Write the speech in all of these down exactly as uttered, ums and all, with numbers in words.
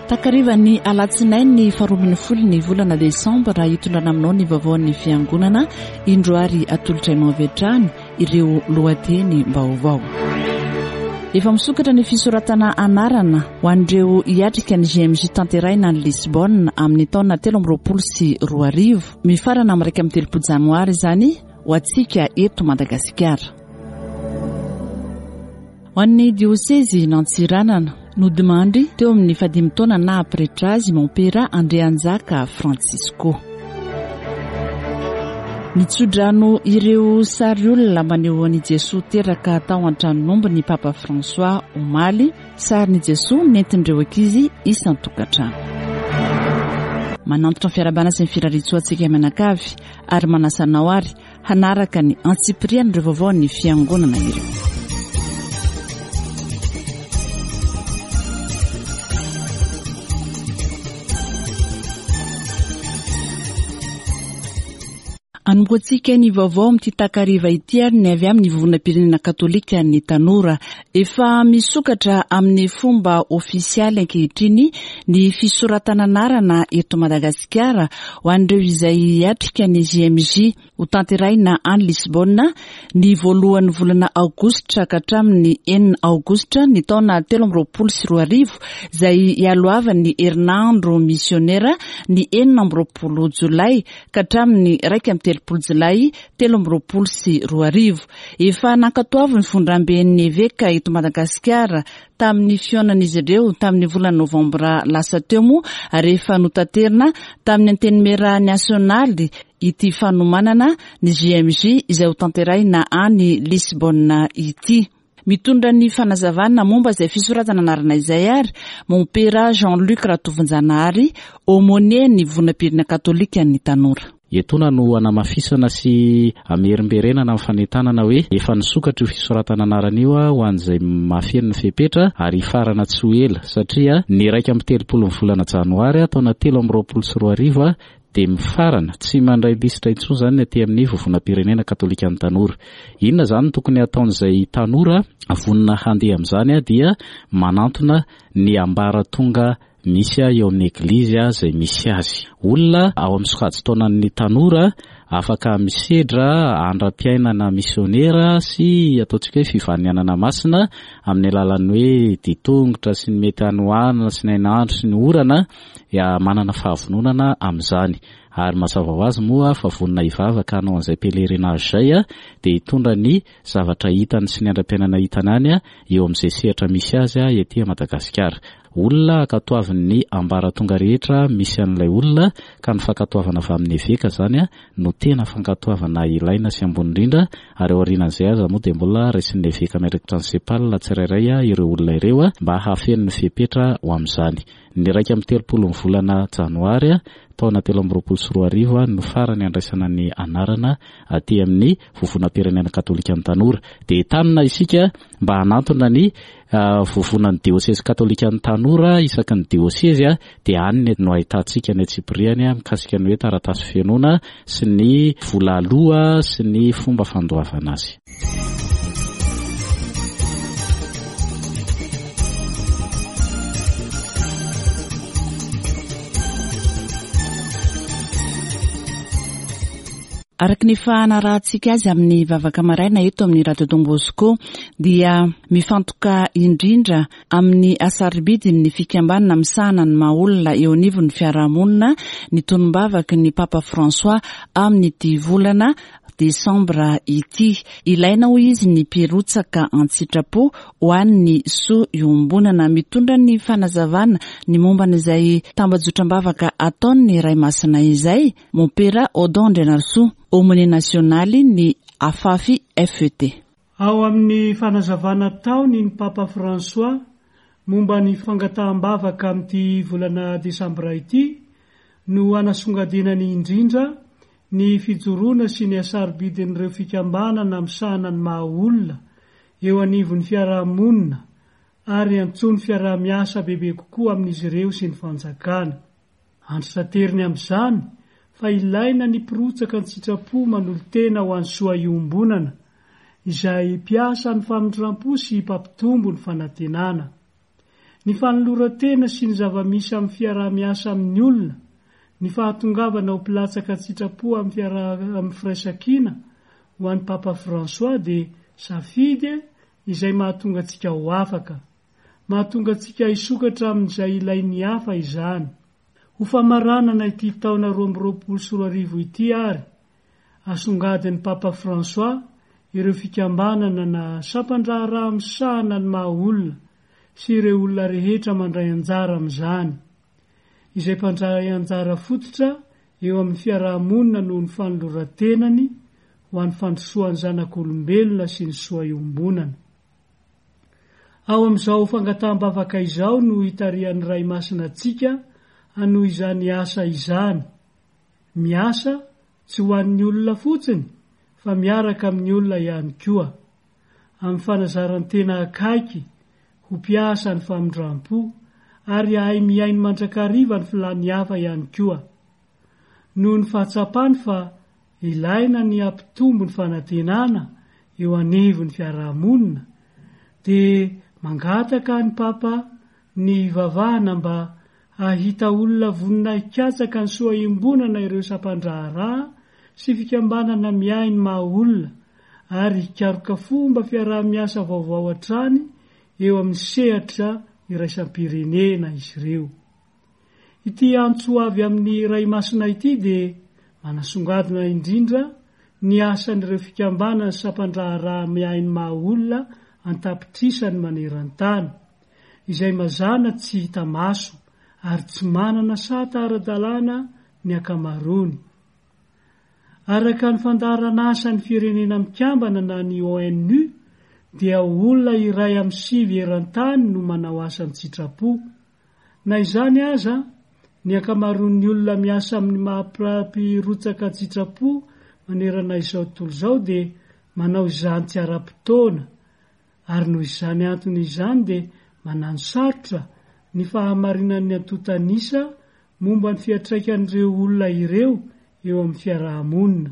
Takarivan'ny alatsinainy faharoa ambin'ny folo ny volana desambra, hitondrana aminao ny vaovaon'ny fiangonana indro ary atolotra anao avy hatrany ireo lohateny vaovao. Efa misokatra ny fisoratana anarana ho an'ireo hiatrika ny J M J tanterahina any Lisbonne amin'ny taona telo amby roapolo sy roa arivo. Mifarana amin'ny iraika amby telopolo janoary izany ho antsika eto Madagasikara. Ho an'ny diosezy Antsiranana, nodimandry teo amin'ny fahadimy taona naha pretra azy Mompera Andrianjaka Francisco. Nitsodrano ireo sary olona maneho an'i Jesoa teraka tao an-tranon'omby ny Papa François omaly, sarin'i Jesoa nentin'ireo ankizy isan-tokantrano. Manantitra ny fiarahabana sy ny firariantsoa antsika mianakavy ary manasa anao ary hanaraka ny antsipirian'ireo vaovao ny fiangonana ireo. Anombohantsika ny vaovao amin'ity takariva ity ary ny avy amin'ny Vovonam-pirenena Katolika ny Tanora. Efa misokatra amin'ny fomba ofisialy ankehitriny ny fisoratana anarana eto Madagasikara ho an'ireo izay hiatrika ny J M J ho tanterahina any Lisbonne ny voalohan'ny volana aogositra ka hatramin'ny enina aogositra ny taona telo amby roapolo sy roa arivo, izay ialohavan'ny herinandro misionera ny enina amby roapolo jolay ka hatramin'ny iraika amby telopolo jolay telo amby roapolo sy roa arivo. Efa nankatoavin'ny fivondramben'ny eveka eto Madagasikara tamin'ny fihaonan'izy ireo tamin'ny volana novambra lasa teo moa, rehefa notaterina tamin'ny antenimiera nasionaly ity fanomanana ny J M J izay ho tanterahina any Lisbonne ity. Mitondra ny fanazavana momba izay fisoratana anarana izay ary Mompera Jean-Luc Ratovonjanahary, aumônier ny Vovonam-pirenena Katolika ny Tanora. Etoana no anamafisana sy amerimberenana amin'ny fanentanana hoe efa nisokatra io fisoratana anarana io a ho an'izay mahafeno ny fepetra ary hifarana tsy ho ela, satria ny iraika amby telopolo ny volana janoary a taona telo amby roapolo sy roa arivo a dia mifarana, tsy mandray lisitra intsony zany ny aty amin'ny Vovonam-pirenena Katolika ny Tanora. Inona zany no tokony hataon'izay tanora vonona handeha amin'izany a dia manantona ny ambaratonga misy a eo amin'ny eglizy a izay misy azy. Olona ao amin'ny sokajin-taonan'ny tanora afaka misedra andram-piainana misionera sy ataontsika hoe fivahinianana masina amin'ny alalan'ny hoe ditongotra sy ny mety hanoanana sy ny hainandro sy ny orana, ya manana fahavononana amin'izany ary mazava ho azy moa fa vonona hivavaka hanao an'izay pèlerinage zay a dia hitondra ny zavatra hitany sy ny andram-piainana hitany any a eo amin'izay sehatra misy azy a ety Madagasikara. Olona ankatoavin'ny ambaratonga rehetra misy an'ilay olona, ka ny fankatoavana avy amin'ny eveka zany a no tena fankatoavana ilaina sy ambony indrindra, ary aorianan'izay aza moa dia mbola raisin'ny eveka miandraikitra ny CEPAL tsirairay a ireo olona ireo a mba hahafeno ny fepetra ho amin'izany. Ny iraika amby telopolo ny volana janoary a taona telo amby roapolo sy roa arivo a no farany andraisana ny anarana aty amin'ny Vovonam-pirenena Katolika ny Tanora. Dia entanina isika mba hanantona ny vovonan'ny diosezy katolika ny tanora isaky ny diosezy a dia any no ahitantsika ny antsipiriany a mikasika ny hoe taratasy fenoana sy ny vola aloha sy ny fomba fandoavana azy. Araka ny fanarahantsika azy amin'ny vavaka maraina eto amin'ny Radio Don Bosco, dia mifantoka indrindra amin'ny hasarobidin'ny fikambanana misahana ny maha olona eo anivon'ny fiarahamonina ny tonom-bavaky ny Papa François amin'ity volana desambra ity. Ilaina, hoy izy, ny mpirotsaka an-tsitrapo ho an'ny soa iombonana. Mitondra ny fanazavana ny momban'izay tambajotram-bavaka ataon'ny Ray Masina izay Mompera Odon Andrianarisoa, aumônier nasionaly ny AFAFI F E T. Ao amin'ny fanazavana ataony ny Papa François momba ny fangataham-bavaka amin'ity volana desambra ity no anasongadinany indrindra ny fijoroana sy ny hasarobidin'ireo fikambanana misahana ny maha olona eo anivon'ny fiarahamonina ary antsoiny fiaraha-miasa bebe kokoa amin'izy ireo sy ny fanjakana. Antitrateriny amin'izany fa ilaina ny mpirotsaka an-tsitrapo manolo-tena ho an'ny soa iombonana, izay mpiasa ny famindram-po sy mpampitombo ny fanantenana. Ny fanoloran-tena sy ny zava-misy amin'ny fiaraha-miasa amin'ny olona, ny fahatongavana ho mpilatsaka an-tsitrapo amin'ny fiaraha amin'ny firaisankina ho an'ny Papa François dia safidy izay mahatonga antsika ho afaka. Mahatonga antsika hisokatra amin'izay ilain'ny hafa izany. Ho famaranana ity taona roa amby roapolo sy roa arivo ity ary, asongadin'ny Papa François ireo fikambanana na sampan-draharaha misahana ny maha olona sy ireo olona rehetra mandray anjara amin'izany, izay mpandray anjara fototra eo amin'ny fiaraha-monina noho ny fanoloran-tenany ho an'ny fandrosoan'ny zanak'olombelona sy ny soa iombonana. Ao amin'izao fangataham-bavaka izao no itarihan'ny Ray Masina antsika hanohy izany asa izany. Miasa tsy ho an'ny olona fotsiny fa miaraka amin'ny olona ihany koa. Amin'ny fanazaran-tena akaiky ho mpiasa ny famindram-po ary hahay mihaino mandrakariva ny filàn'ny hafa ihany koa. Noho ny fahatsapany fa ilaina ny hampitombo ny fanantenana eo anivon'ny fiarahamonina dia mangataka ny Papa ny hivavahana mba hahita olona vonona hikatsaka ny soa iombonana ireo sampan-draharaha sy fikambanana miahy ny maha olona ary hikaroka fomba fiaraha-miasa vaovao hatrany eo amin'ny sehatra iraisam-pirenena izy ireo. Ity antso avy amin'ny Ray Masina ity dia manasongadina indrindra ny asan'ireo fikambanana sy sampan-draharaha miahy ny maha olona an-tapitrisany maneran-tany, izay mazàna tsy hita maso ary tsy manana sata ara-dalàna ny ankamaroany. Araka ny fandaharan'asan'ny Firenena Mikambana na ny ONU dia olona iray amin'ny sivy eran-tany no manao asa an-tsitrapo. Na izany aza, ny ankamaroan'ny olona miasa amin'ny maha-mpirotsaka an-tsitrapo manerana izao tontolo izao dia manao izany tsy ara-potoana, ary noho izany antony izany dia mananosarotra ny fahamarinan'ny antontan'isa momba ny fiantraikan'ireo olona ireo eo amin'ny fiaraha-monina.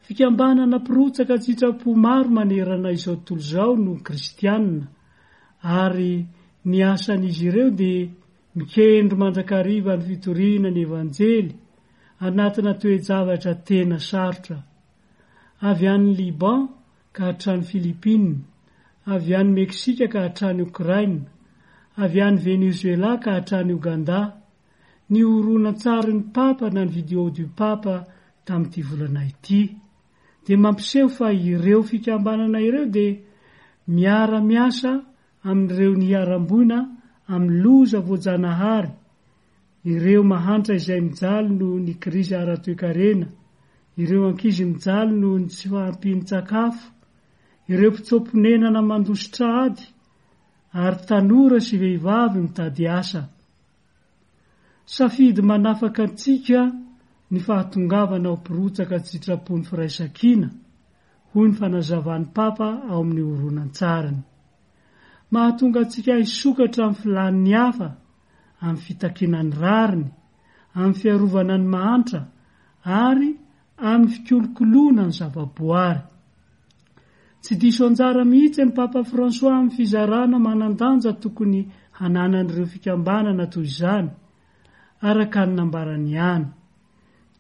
Fikambanana mpirotsaka an-tsitrapo maro manerana izao tontolo izao no kristiana, ary ny asan'izy ireo dia mikendry mandrakariva ny fitoriana ny Evanjely anatina toe-javatra tena sarotra. Avy any Liban ka hatrany Philippines, avy any Meksika ka hatrany Okraina, avy any Venezuela ka hatrany Ogandà, ny horonantsarin'ny Papa na ny Vidéo du Pape tamin'ity volana ity dia mampiseho fa ireo fikambanana ireo dia miara-miasa amin'ireo niharam-boina amin'ny loza voajanahary, ireo mahantra izay mijaly noho ny krizy ara-toekarena, ireo ankizy mijaly noho ny tsy fahampian-tsakafo, ireo mpitsoa-ponenana mandositra ady, ary tanora sy vehivavy mitady asa. Safidy manafaka antsika ny fahatongavana ho mpirotsaka an-tsitrapo ny firaisankina, hoy ny fanazavan'ny Papa ao amin'ny horonantsariny. Mahatonga antsika hisokatra amin'ny filàn'ny hafa, amin'ny fitakiana ny rariny, amin'ny fiarovana ny mahantra ary amin'ny fikolokoloana ny zavaboary. Tsy diso anjara mihitsy ny Papa François amin'ny fizarana manan-danja tokony hananan'ireo fikambanana toy izany, araka ny nambarany ihany.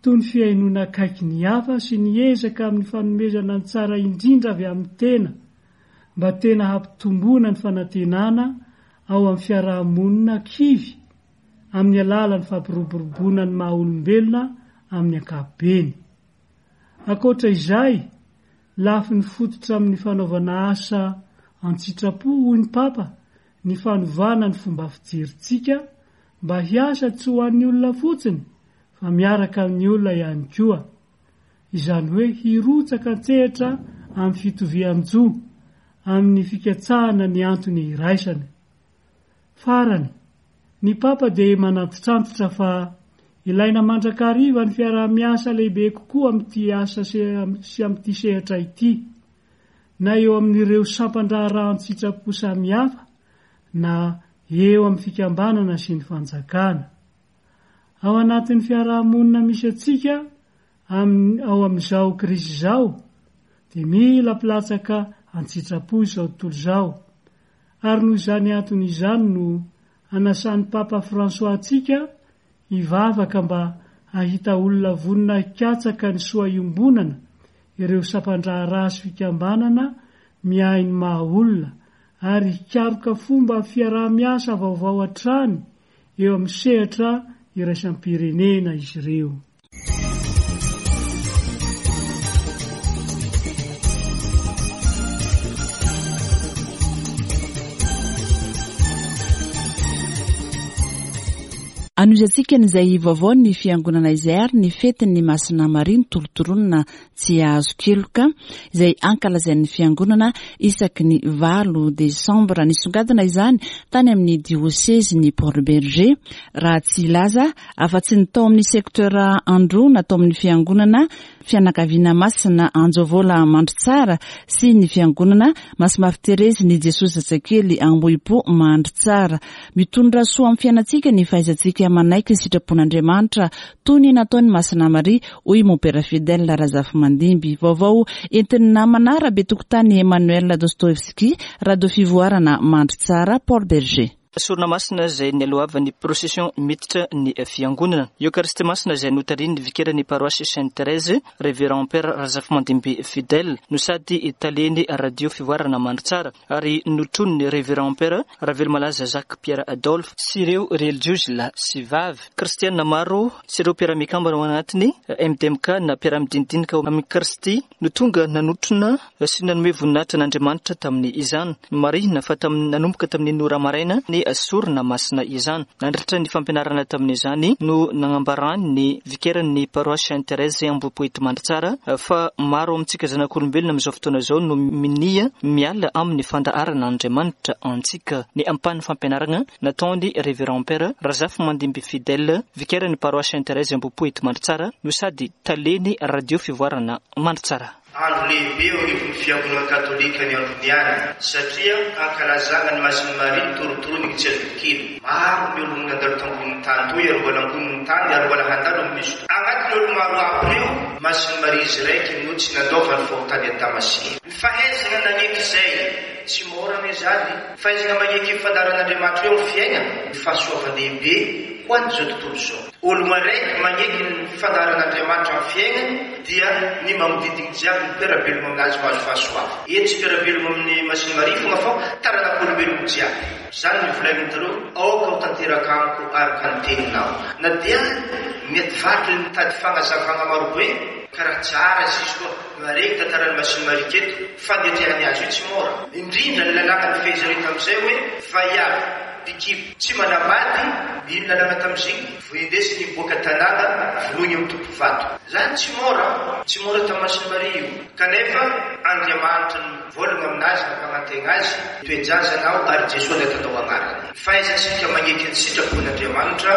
Toy ny fihainoana akaiky ny hafa sy ny ezaka amin'ny fanomezana ny tsara indrindra avy amin'ny tena, mba tena hampitomboana ny fanantenana ao amin'ny fiaraha-monina kivy amin'ny alalan'ny fampiroboroboana ny maha-olombelona amin'ny ankapobeny. Ankoatra izay, lafiny fototra amin'ny fanaovana asa an-tsitrapo, hoy ny Papa, ny fanovana ny fomba fijerintsika mba hiasa tsy ho an'ny olona fotsiny fa miaraka amin'ny olona ihany koa. Izany hoe hirotsaka an-tsehatra amin'ny fitovian-jo, amin'ny fikatsahana ny antony iraisana. Farany, ny Papa dia manantitrantitra fa ilaina mandrakariva ny fiaraha-miasa lehibe kokoa amin'ity asa sy amin'ity sehatra ity, na eo amin'ireo sampan-draharaha an-tsitrapo samihafa na eo amin'ny fikambanana sy ny fanjakana. Ao anatin'ny fiaraha-monina misy antsika amin'ny ao amin'izao krizy izao dia mila mpilatsaka an-tsitrapo izao tontolo izao, Ary noho izany antony izany no anasan'ny Papa François antsika hivavaka mba hahita olona vonona hikatsaka ny soa iombonana, ireo sampan-draharaha sy fikambanana miahy ny maha olona, ary hikaroka fomba fiaraha-miasa vaovao hatrany eo amin'ny sehatra iraisam-pirenena izy ireo. Anohizantsika an'izay vaovao ny fiangonana izay ary ny fetin'ny Masina Maria nitorotoronina tsy azo keloka izay ankalazain'ny fiangonana isaky ny valo desambra. Nisongadina izany tany amin'ny diosezy ny Port-Bergé, raha tsy hilaza afa-tsy ny tao amin'ny secteur Androna tao amin'ny fiangonana fianakaviana masina Anjovola Mandritsara sy ny fiangonana Masimafy Terezy ny Jesosy Zazakely Ambohipo Mandritsara. Mitondra soa amin'ny fiainantsika ny fahaizantsika manaiky ny sitrapon'Andriamanitra toy ny nataon'i Masina Maria, hoy Mompera Fidèle Razafimandimby. Vaovao entin'ny namana Rabetokotany Emmanuel Dostoevsky, Radio Fivoarana Mandritsara, Port-Bergé. Sorona masina izay nialohavan'ny procession miditra ny fiangonana. Eokaristia masina izay notarihin'ny vikeran'ny paroasy Sainte Thérèse, Révérend Père Razafimandimby Fidèle, no sady talen'ny Radio Fivoarana Mandritsara, ary notronon'ny Révérend Père Ravelomalaza Jacques Pierre Adolphe sy ireo relijiozy lahy sy vavy kristianina maro sy ireo mpiara-mikambana ao anatiny M D M K na mpiara-midinidinika amin'ny Kristy no tonga nanotrona sy nanome voninahitra an'Andriamanitra tamin'ny izany. Marihina fa tamin'ny nanomboka tamin'ny ora maraina ny sorona masina izany. Nandritra ny fampianarana tamin'izany no nanambarany ny vikeran'ny paroasy Sainte Thérèse Ambohipo Mandritsara fa maro amintsika zanak'olombelona amin'izao fotoana izao no minia miala amin'ny fandaharan'Andriamanitra antsika. Ny ampahan'ny fampianarana nataony Révérend Père Razafimandimby Fidèle, vikeran'ny paroasy Sainte Thérèse Ambohipo Mandritsara no sady talen'ny Radio Fivoarana Mandritsara. Andro lehibe eo anivon'ny fiangonana katolika ny androniany satria ankalazana ny Masin'i Maria nitorotorony tsy azo kely. Maro ny olona nandalo tambonin'ny tany toy ary mbola ambonin'ny tany ary mbola handalo amin'izy io. Agnatin'ny olo maro aby ireo, Masin'i Maria izy raiky no tsy nandaova ny fahotany Adamasy. Ny fahaizana naneky izay tsy mora anie zany. Fahaizana maneky ny fandaharan'Andriamanitra eo amin'ny fiainana, ny fahasoavan-dehibe ho an'izao tontolo izao. Olona raiky maneky ny fandaharan'Andriamanitra amin'ny fiainany dia ny magnodidina jiaby ny mpiara-belona aminazy mahazo fahasoavana. Etsy mpiara-belona amin'ny Masin'i Maria fogna fa taranak'olombelona jiaby. Zany ny volanin'ireo, aoka ho tanteraka amiko araka ny teninao. Na dia mety vaky ny mitady fagnazavana marobe, karaha tsara izy izy koa maregny tantaran'ny Masin'i Maria keto, fanetrehany azy io tsy mora. Indrindra ny lalàna nifehezany tamin'izay hoe vaiavy bikibo tsy manambady, ino lalàna tamin'iziny, voindesiny miboaka tanàna vonoiny amin'ny tompo vato. Zany tsy mora, tsy mora tamin'ny Masin'i Maria io. Kanefa Andriamanitra no mivolagna aminazy, nampanantena azy, toe-jazanao ary Jesoa natanao agnarany. Fahaizantsika magneky ny sitrapon'Andriamanitra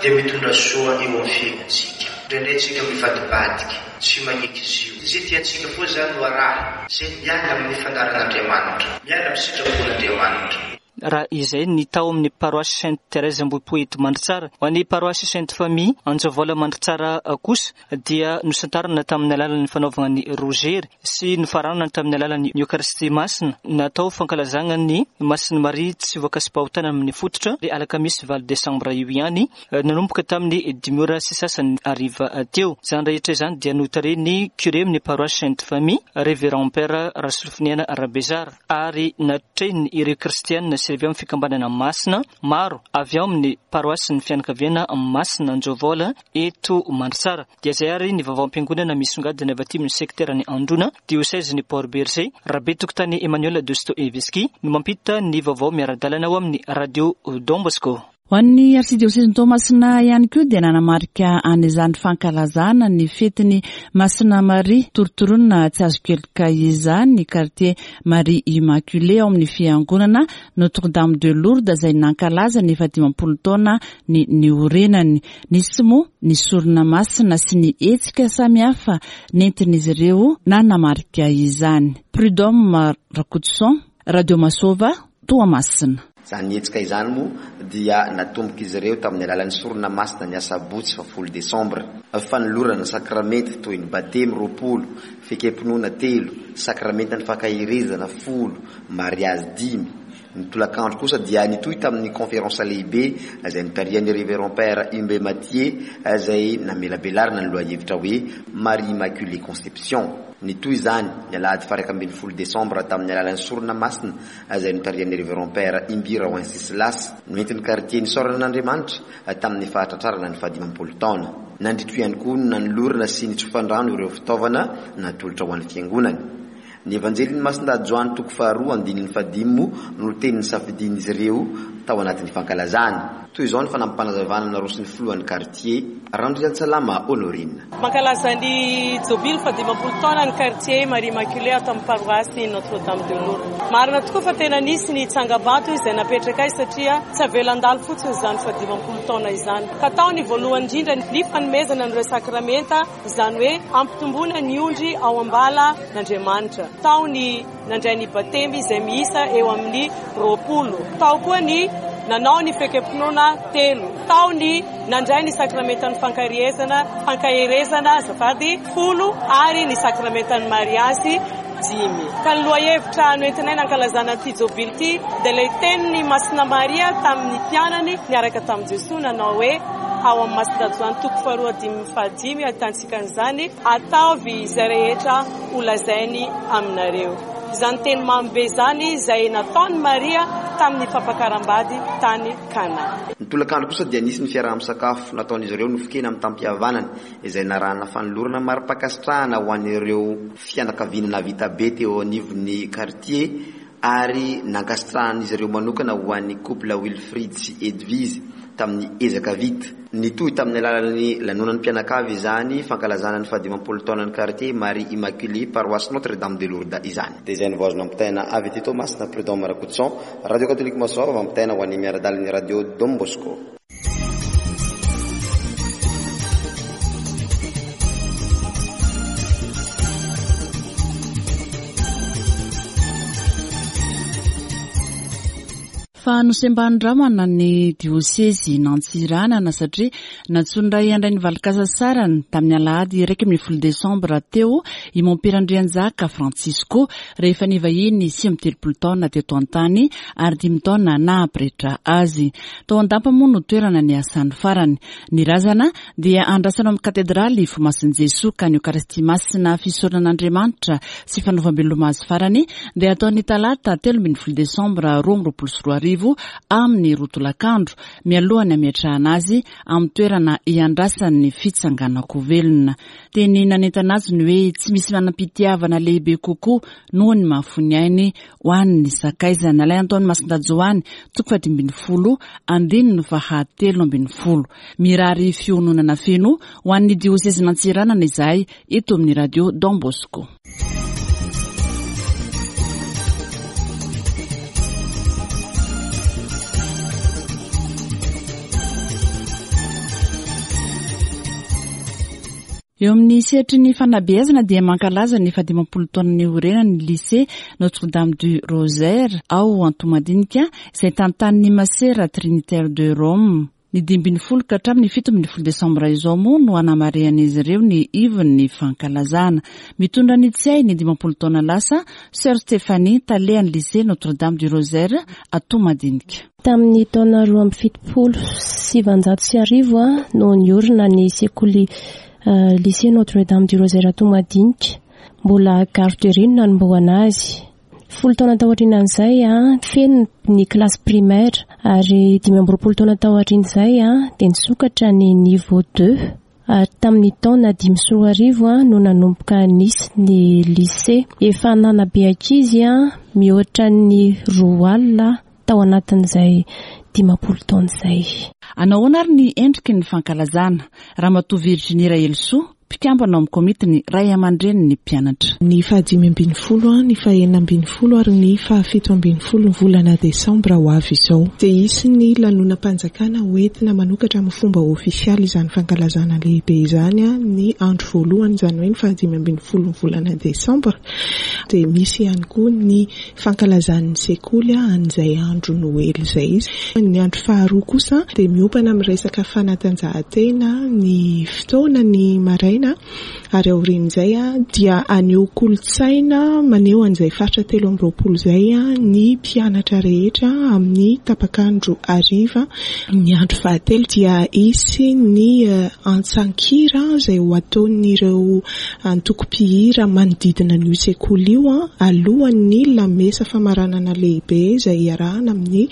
dia mitondra soa eo amin'ny fiainantsika. Indraindray tsika mivadibadiky, tsy magneky izy io. Izay tiantsika foa zany no araha, izay miala amin'ny fandaharan'Andriamanitra, miala amin'ny sitrapon'Andriamanitra. Raha izay ny tao amin'ny paroasy Sainte Thérèse Ambohipo eto Mandritsara. Ho an'ny paroasy Sainte Famille Anjovola Mandritsara kosa dia nosantarina tamin'ny alalan'ny fanaovana ny rozery sy nofaranana tamin'ny alalan'ny Eokaristia masina natao fankalazana ny Masin'i Maria tsy voakasi-pahotana amin'ny fototra alakamisy valo desambra io ihany, nanomboka tamin'ny dimy ora sy sasany hariva teo. Izany rehetra izany dia notarihin'ny curé amin'ny paroasy Sainte Famille Révérend Père Rasolofiniana Rabezara ary natrehiny ireo kristianina sy avy amin'ny fikambanana masina maro avy ao amin'ny paroasin'ny fianakaviana masina Anjovola eto Mandritsara. Dia izay ary ny vaovaom-piangonana misongadina avy aty amin'ny sekteran'ny Androna, diosezin'ny Port-Bergé. Rabetokotany Emmanuel Dostoevsky no mampita ny vaovao miara-dalana ao amin'ny Radio Don Bosco. Ho an'ny arsidiosezin'i Toamasina ihany koa dia nanamarika an'izany fankalazana ny fetin'ny Masina Maria torotoroana tsy azo keloka izany ny quartier Marie Immaculée ao amin'ny fiangonana Notre-Dame de Lourdes izay nankalaza ny efa dimampolo taona ny niorenany. Nisy moa ny sorona masina sy ny hetsika samihafa nentin'izy ireo nanamarika izany. Prud'homme Rakotoson, Radio Masova, Toamasina. Izany hetsika izany moa dia natomboka izy ireo tamin'ny alalan'ny sorona masina ny asabotsy fahafolo desambra. Fanolorana sakramenta toy ny batemy roapolo, fekempinoana telo, sakramentan'ny fankaherezana folo, mariazy dimy, Ny tolakandro kosa dia nitohy tamin'ny conférence lehibe izay notarihan'ny Révérend Père Imbe Mathieu izay namelabelarina ny lohahevitra hoe Marie Immaculée Conception. Nitohy izany ny alahady faha iraika ambin'ny folo desambra tamin'ny alalan'ny sorona masina izay notarihan'ny Révérend Père Imbira Wenceslas. Noentin'ny quartier nisaorana an'Andriamanitra tamin'ny fahatratrarana ny fahadimampolo taona. Nandritra io ihany koa no nanolorana sy nitsofandrano ireo fitaovana natolotra ho an'ny fiangonana. Ny Evanjelin'ny Masindahy Joany toko faharoa andininy fahadimy moa no teny nisafidian'izy ireo tao anatin'ny fankalazana. Toy izao ny fanampim-panazavana naroson'ny filohan'ny quartier Randriantsalama Honorine. Mankalaza ny jobily fahadimampolo taona ny quartier Marie Immaculée ato amin'ny paroasy Notre Dame de Lourdes. Marina tokoa fa tena nisy ny tsangambato izay napetraka azy satria tsy avela handalo fotsiny izany fahadimampolo taona izany. Ka tao ny voalohany indrindra ny fanomezana an'ireo sakramenta, izany hoe ampitomboana ny ondry ao am-balan'Andriamanitra. Tao ny nandray ny batemy izay miisa eo amin'ny roapolo. Tao koa ny nanao ny fekempinoana telo. Tao ny nandray ny sakramentan'ny fankaherezana, fankaherezana azafady folo ary ny sakramentan'ny mariazy dimy. Ka ny lohahevitra noentinay nankalazana ity jobily ity dia ilay tenin'ny Masina Maria tamin'ny mpianany niaraka tamin'i Jesoa nanao hoe ao amin'ny Masindahy Joany toko faharoa dimy fahadimy ahitantsika an'izany, ataovy izay rehetra holazainy aminareo. Izany teny mamy be izany izay nataon'i Maria tamin'ny fampakaram-bady tany Kana. Ny tolakandro kosa dia nisy ny fiaraha-misakafo nataon'izy ireo nofokena amin'ny tampihavanana izay narahana fanolorana mari-pankasitrahana ho an'ireo fianakaviana nahavita be teo anivon'ny quartier ary nankasitrahan'izy ireo manokana ho an'ny couple Wilfried sy Edwige tamin'ny ezaka vita. Nitohy tamin'ny alalan'ny lanonan'ny mpianakavy izany fankalazana ny fahadimampolo taonan'ny quartier Marie Immaculée paroisse Notre Dame de Lourdes izany. Dia izay no voazona ampitaina avy aty Toamasina, Prud'homme Rakotoson, Radio Catholique Masoava, mampitaina ho an'ny miara-dalin'ny Radio Don Bosco. Fa nosembanin-dramana ny diosezy Nantsiranana satria nantsoin'ny ray handray ny valin-kasasarany tamin'ny alahady iraika ambin'ny folo desambra teo i Mompera Andrianjaka Francisco rehefa nivahiny sivy amby telopolo taona teto an-tany ary dimy taona naha-pretra azy. Tao Andampa moa no toerana ny asany farany. Ny razana dia andrasana amin'ny katedraly Fomasin'i Jesoa ka ny Eokaristia Masina fisaoran'Andriamanitra sy fanaovam-beloma azy farany dia ataon'ny talata telo ambin'ny folo desambra roa amby roapolo sy roa arivo amin'ny roa tolakandro mialohan'ny hametrahana azy amin'ny toerana iandrasan'ny fitsanganako velona. Teny nanentana azy ny hoe tsy misy manam-pitiavana lehibe kokoa noho ny mahafoy ainy ho an'ny sakaizany. Ilay Antoine Masindahy Joany toko fahadimy ambin'ny folo andininy fahatelo ambin'ny folo. Mirary fiononana feno ho an'ny diosezy Nantsiranana izahay eto amin'ny Radio Don Bosco. Eo amin'ny sehatry ny fanabeazana dia mankalaza ny fahadimampolo taona niorenany ny lycée Notre-Dame du Rosaire ao Antohomadinika izay tantanin'ny Masera Trinitaire de Rome. Ny dimy ambin'ny folo ka hatramin'ny fito ambin'ny folo desambra izao moa no anamarihan'izy ireo ny ivon'ny fankalazana. Mitondra ny tsiahy ny dimampolo taona lasa, Sœur Stéphanie, talehan'ny lycée Notre-Dame du Rosaire Antohomadinika. Tamin'ny taona roa amby fitopolo sy sivanjato sy arivo no niorina ny sekoly lycée Notre-Dame du Rosaire Antohomadinika. Mbola garderie no nanombohana azy. Folo taona taorian'izay feno ny classe primaire ary dimy amby roapolo taona taorian'izay dia nisokatra ny niveau deux. Ary tamin'ny taona dimy sy roa arivo no nanomboka nisy ny lycée. Efa nanabe ankizy mihoatra ny roa alina tao anatin'izay dimampolo taona izay. Anahoana ary ny endriky ny fankalazana? Ramatoa Virginie Raelisoa, mpikambana ao amin'ny komitin'ny ray aman-drenin'ny mpianatra. Ny fahadimy ambin'ny folo, ny fahenina ambin'ny folo ary ny fahafito ambin'ny folo ny volana desambra ho avy izao. Dia hisy ny lanonam-panjakana hoentina manokatra amin'ny fomba ofisialy izany fankalazana lehibe izany ny andro voalohany, izany hoe ny fahadimy ambin'ny folo ny volana desambra. Dia misy ihany koa ny fankalazan'ny sekoly an'izay andro Noely izay izy. Ny andro faharoa kosa dia miompana amin'ny resaka fanatanjahantena ny fotoana ny maraina maraina, ary aorian'izay dia haneho kolontsaina maneho an'izay faritra telo amby roapolo izay ny mpianatra rehetra amin'ny tapak'andro hariva. Ny andro fahatelo dia hisy ny antsan-kira izay ho ataon'ireo antoko mpihira manodidina an'io sekoly io alohan'ny lamesa famaranana lehibe izay iarahana amin'ny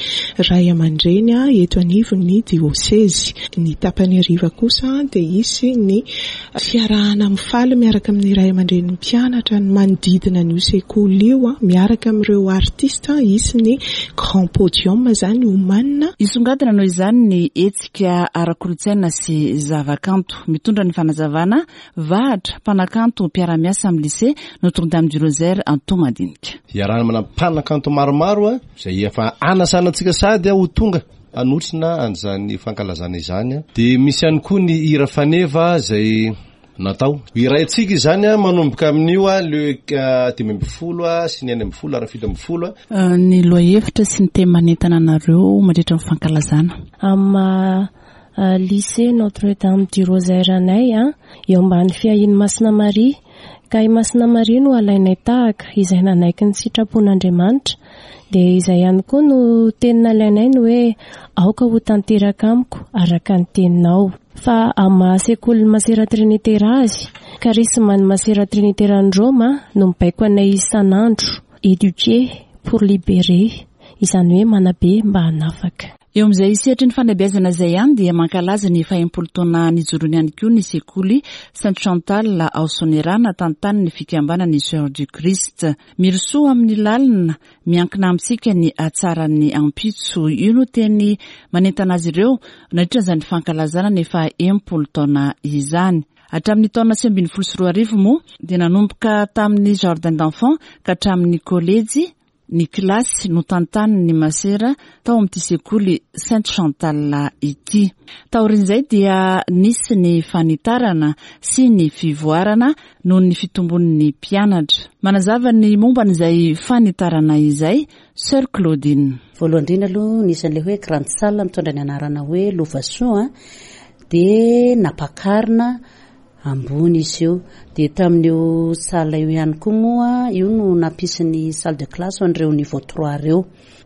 ray aman-dreny eto anivon'ny diosezy. Ny tapany hariva kosa dia hisy ny fiarahana mifaly miaraka amin'ny ray aman-drenin'ny mpianatra ny manodidina an'io sekoly io miaraka amin'ireo artista. Hisy ny grand podium izany homanina. Hisongadina noho izany ny hetsika ara-kolontsaina sy zavakanto. Mitondra ny fanazavana Vahatra, mpanakanto mpiara-miasa amin'ny lycée Notre-Dame du Rosaire Antohomadinika. Iarahana manana mpanakanto maromaro izay efa anasana antsika sady ho tonga hanotrona an'izany fankalazana izany. Dia misy ihany koa ny hira faneva izay natao. Hiraintsika izany manomboka amin'io le dimy ambin'ny folo sy ny enina ambin'ny folo ary fito ambin'ny folo. Ny lohahevitra sy ny teny manentana anareo mandritra ny fankalazana. Amin'ny lycée Notre-Dame du Rosaire anay, eo ambany fiahian'i Masina Maria, ka i Masina Maria no alainay tahaka izay nanaiky ny sitrapon'Andriamanitra, dia izay ihany koa no teny nalainay ny hoe aoka ho tanteraka amiko araka ny teninao. Fa amin'ny maha sekolin'ny Masera Trinitera azy, karisman'ny Masera Triniteran'i Roma no mibaiko anay isan'andro, éduquer pour libérer, izany hoe manabe mba hanafaka. Eo amin'izay sehatry ny fanabeazana izay ihany dia mankalaza ny faha-enimpolo taona nijoroany ihany koa ny sekoly Sainte Chantal ao Soanierana tantanin'ny fikambanan'ny Sœurs du Christ. Mirosoa amin'ny lalina, miankina amintsika ny hatsaran'ny ampitso. Io no teny manentana azy ireo nandritra izany fankalazana ny faha-enimpolo taona izany. Hatramin'ny taona sivy ambin'ny folo sy roa arivo moa dia nanomboka tamin'ny jardin d'enfants ka hatramin'ny kolejy ny kilasy notantanin'ny masera tao amin'ity sekoly Sainte Chantal ity. Taorian'izay dia nisy ny fanitarana sy ny fivoarana noho ny fitombon'ny mpianatra. Manazava ny momba an'izay fanitarana izay Sœur Claudine. Voalohany indrindra aloha nisy an'ilay hoe grande salle mitondra ny anarana hoe Lovasoa, dia nampakarina ambony izy io. Dia tamin'io salle io ihany koa moa io no nampisy ny salle de classe ho an'ireo niveau trois ireo.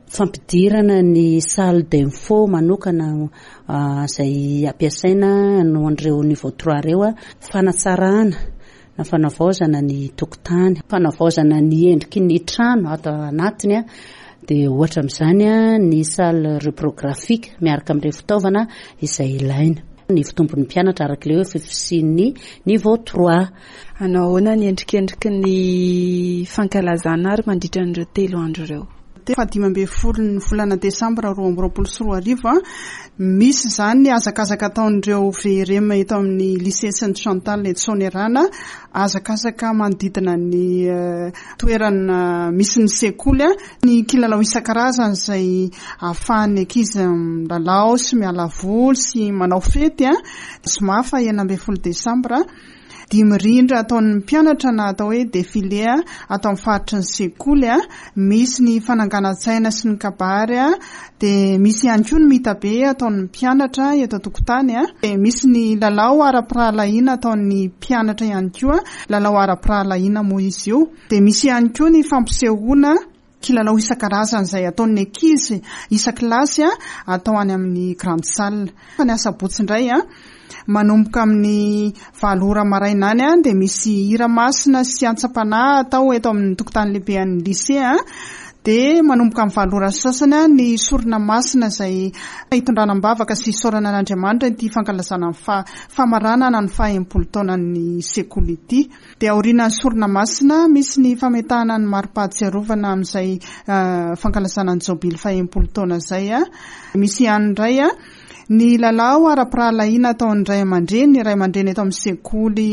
Fampidirana ny salle d'info manokana izay ampiasaina no an'ireo niveau trois ireo, fanatsarana na fanavaozana ny tokotany, fanavaozana ny endriky ny trano ato anatiny. Dia ohatra amin'izany ny salle reprographique miaraka amin'ireo fitaovana izay ilaina. Ny fitombon'ny mpianatra araka ilay hoe fisian'ny niveau trois. Hanao ahoana ny endrikendriky ny fankalazana ary mandritra an'ireo telo andro ireo? Fahadimy ambin'ny folo ny volana desambra roa amby roapolo sy roa arivo, misy izany ny hazakazaka ataon'ireo V R M eto amin'ny lycée Sainte Chantal eto Soanierana, hazakazaka manodidina ny toerana misy ny sekoly, ny kilalao isan-karazany izay ahafahan'ny ankizy milalao sy miala voly sy manao fety. Zoma faha enina ambin'ny folo desambra, dimy rindra ataon'ny mpianatra na atao hoe défilé atao amin'ny faritry ny sekoly, misy ny fananganan-tsaina sy ny kabary, dia misy ihany koa ny mitabe ataon'ny mpianatra eto an-tokotany, dia misy ny lalao ara-pirahalahiana ataon'ny mpianatra ihany koa, lalao ara-pirahalahiana moa izy io, dia misy ihany koa ny fampisehoana kilalao isan-karazany izay ataon'ny ankizy isan-kilasy atao any amin'ny grande salle. Fa ny asabotsy indray manomboka amin'ny valo ora maraina any dia misy hira masina sy antsam-panahy atao eto amin'ny tokotany lehibe an'ny lycée, dia manomboka amin'ny valo ora sy sasany ny sorona masina izay hitondrana am-bavaka sy isaorana an'Andriamanitra ity fankalazana ny fa-, famaranana ny faha-enimpolo taonan'ny sekoly ity. Dia aorian'ny sorona masina misy ny fametahana ny mari-pahatsiarovana amin'izay fankalazana ny jobily faha-enimpolo taona izay. Misy ihany indray ny lalao ara-pirahalahiana ataon'ny ray aman-dreny, ny ray aman-dreny eto amin'ny sekoly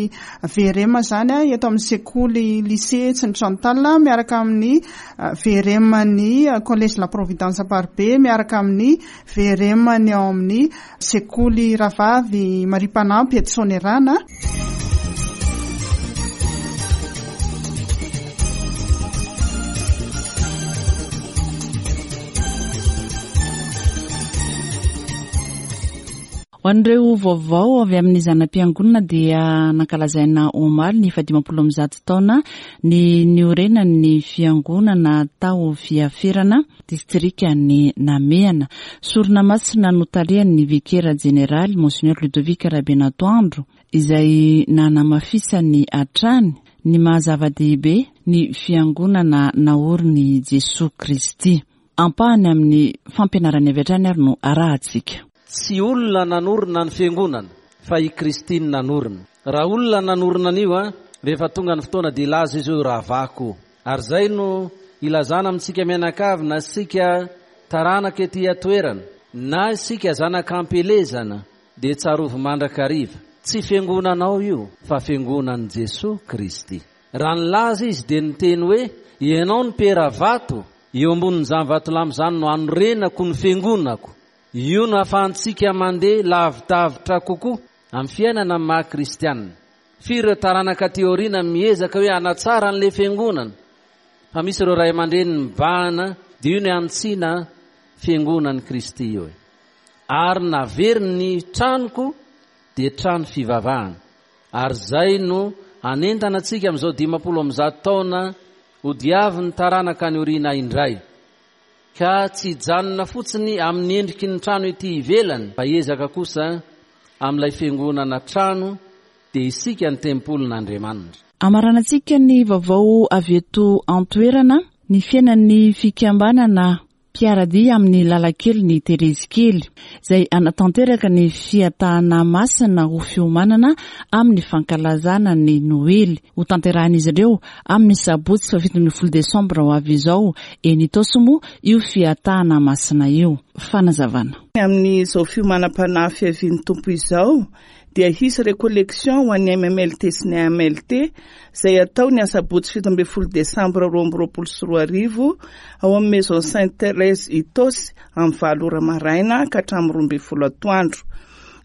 V R M izany, eto amin'ny sekoly lycée Sainte Chantal miaraka amin'ny V R M ny Collège La Providence Amparibe miaraka amin'ny V R M ny ao amin'ny sekoly Rahavavy Maria Mpanampy eto Soanierana. Ho an'ireo vaovao avy amin'ny zana-piangonana dia nankalazaina omaly ny fahadimampolo amby zato taona ny niorenan'ny fiangonana tao Fiaferana, distrikan'i Namehana. Sorona masina notarihan'ny vikera jeneraly Monseigneur Ludovic Rabenatoandro izay nanamafisany hatrany ny maha zava-dehibe ny fiangonana naorin'i Jesoa Kristy. Ampahany amin'ny fampianarany avy hatrany ary no arahantsika. Tsy olona nanorina ny fiangonana fa i Kristy no nanorina. Raha olona nanorina an'io a, rehefa tonga ny fotoana dia hilaza izy hoe ravako. Ary izay no ilazana amintsika mianakavy, na isika taranaka ety an-toerana, na isika zanak'ampielezana, dia tsarovy mandrakariva. Tsy fiangonanao io fa fiangonan'i Jesoa Kristy. Raha nilaza izy dia niteny hoe ianao no Piera vato, eo ambonin'izany vatolampy izany no hanorenako ny fiangonako. Io no ahafahantsika mandeha lavidavitra kokoa amin'ny fiainana amin'ny maha kristianina. Firy ireo taranaka aty aoriana miezaka hoe hanatsara an'ilay fiangonana, fa misy ireo ray aman-dreny mibahana, dia io no hantsina fiangonan'i Kristy io e. Ary naveriny ny tranoko dia trano fivavahana. Ary izay no hanentana antsika amin'izao dimampolo amby zato taona hodiavin'ny taranaka any aoriana indray. Ka tsy hijanona fotsiny amin'ny endriky ny trano ety ivelany, fa hiezaka kosa amin'ilay fiangonana trano, dia isika ny tempolin'Andriamanitra. Amaranantsika ny vaovao avy eto an-toerana, ny fiainan'ny fikambanana mpiara-dia amin'ny lalankelin'i Terezy Kely, izay hanatanteraka ny fiatahana masina ho fiomanana amin'ny fankalazana ny Noely. Ho tanterahin'izy ireo amin'ny sabotsy fahafito ambin'ny folo desambra ho avy izao eny Itaosy moa io fiatahana masina io. Fanazavana. Amin'izao fiomanam-panahy fiavian'ny Tompo izao dia hisy récollection ho an'ny M M L T sy ny A M L T izay atao ny asabotsy fito ambin'ny folo desambra roa amby roapolo sy roa arivo ao amin'ny Maison Sainte Thérèse Itaosy amin'ny valo ora maraina ka hatramin'ny roa ambin'ny folo atoandro,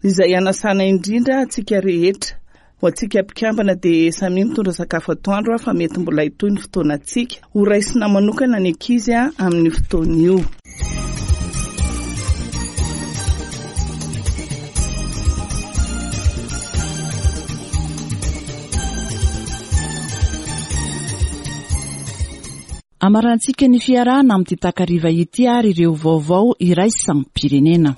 izay hanasana indrindra antsika rehetra. Ho antsika mpikambana dia samy mitondra sakafo atoandro fa mety mbola hitohy ny fotoanantsika. Ho raisina manokana ny ankizy amin'ny fotoana io. Amarantsika ny fiarahana amin'ity takariva ity ary ireo vaovao iraisam-pirenena.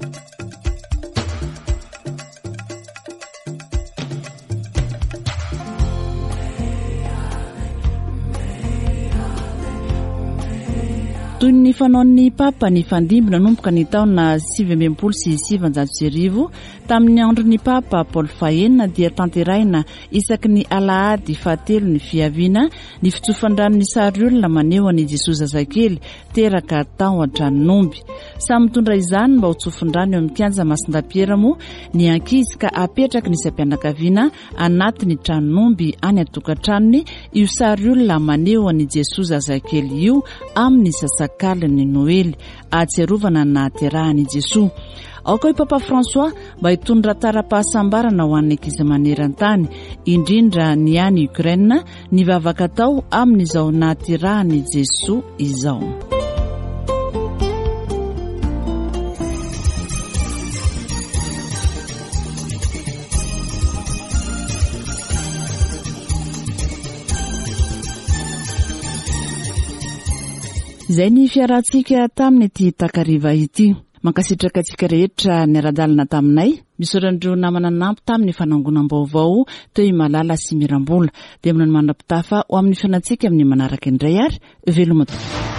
Toy ny fanaon'ny Papa ny fandimby nanomboka ny taona sivy amby enimpolo sy sivanjato sy arivo tamin'ny andron'ny Papa Paul fahenina dia tanterahina isaky ny alahady fahatelo ny fiaviana ny fitsofan-drano ny sary olona maneho an'i Jesoa zazakely teraka tao an-tranon'omby. Samy mitondra izany mba ho tsofin-drano eo amin'ny kianja Masindapiera moa ny ankizy ka apetraky ny isam-pianakaviana anatin'ny tranon'omby any an-tokantranony io sary olona maneho an'i Jesoa zazakely io amin'ny sasakalin'ny Noely ahatsiarovana ny nahaterahan'i Jesoa. Aoka i Papa François mba hitondra tara-pahasambarana ho an'ny ankizy maneran-tany, indrindra ny any Ukraine, ny vavaka atao amin'izao nahaterahan'i Jesoa izao. Izay ny fiarahantsika tamin'ity takariva ity. Mankasitraka antsika rehetra niara-dalana taminay. Misaotra an'ireo namana nanampy tamin'ny fanangonam-baovao teo i Malala sy Mirambola. Dia mbola ny mandra-pitafa ho amin'ny fihaonantsika amin'ny manaraka indray ary veloma tompoko.